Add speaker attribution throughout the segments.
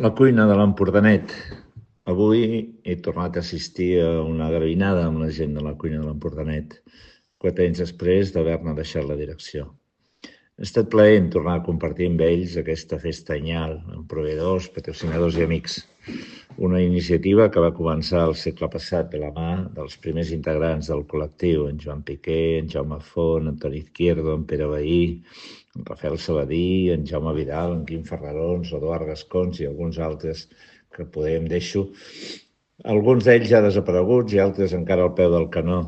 Speaker 1: La cuina de l'Empordanet. Avui he tornat a assistir a una garbinada amb la gent de la cuina de l'Empordanet, 4 anys després d'haver-ne deixat la direcció. Ha estat plaent tornar a compartir amb ells aquesta festa anyal, amb proveïdors, patrocinadors i amics. Una iniciativa que va començar el segle passat de la mà dels primers integrants del col·lectiu, en Joan Piqué, en Jaume Font, en Toni Izquierdo, en Pere Vehí, en Rafael Saladí, en Jaume Vidal, en Quim Ferrarons, Eduard Gascons i alguns altres que poder em deixo. Alguns d'ells ja desapareguts i altres encara al peu del canó.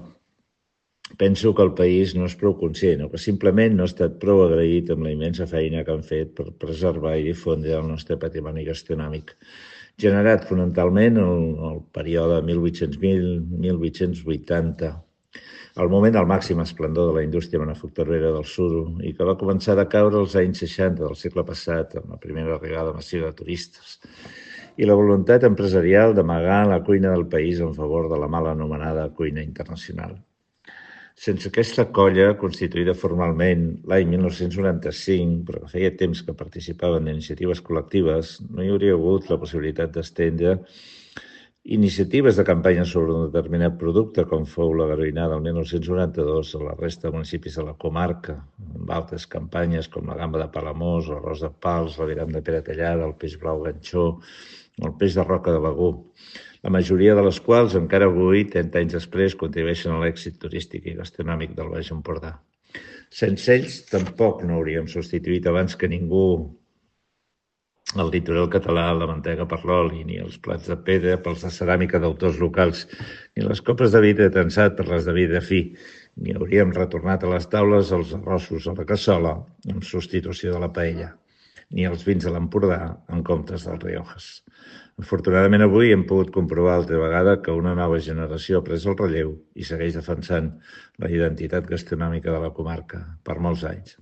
Speaker 1: Penso que el país no és prou conscient o que simplement no ha estat prou agraït amb la immensa feina que han fet per preservar i difondre el nostre patrimoni gastronòmic, generat fonamentalment en el període 1800-1880, el moment del màxim esplendor de la indústria manufacturera del suro i que va començar a decaure als anys 60 del segle passat amb la primera arribada massiva de turistes i la voluntat empresarial d'amagar la cuina del país en favor de la mal anomenada cuina internacional. Sense aquesta colla, constituïda formalment l'any 1995, però que feia temps que participaven en iniciatives col·lectives, no hi hauria hagut la possibilitat d'estendre iniciatives de campanya sobre un determinat producte, com fou la garbinada del 1992 a la resta de municipis de la comarca, amb altres campanyes com la gamba de Palamós, l'arròs de Pals, l'aviram de Pere Tallada, el peix blau ganxó, o el peix de Roca de Begú, la majoria de les quals encara avui, 30 anys després, contribueixen a l'èxit turístic i gastronòmic del Baix Empordà. Sense ells tampoc no hauríem substituït abans que ningú el litoral català, la mantega per l'oli, ni els plats de pedra pels de ceràmica d'autors locals, ni les copes de vidre tensat per les de vidre fi, ni hauríem retornat a les taules els arrossos a la cassola en substitució de la paella, ni els vins de l'Empordà en comptes dels Riojas. Afortunadament avui hem pogut comprovar altra vegada que una nova generació ha pres el relleu i segueix defensant la identitat gastronòmica de la comarca per molts anys.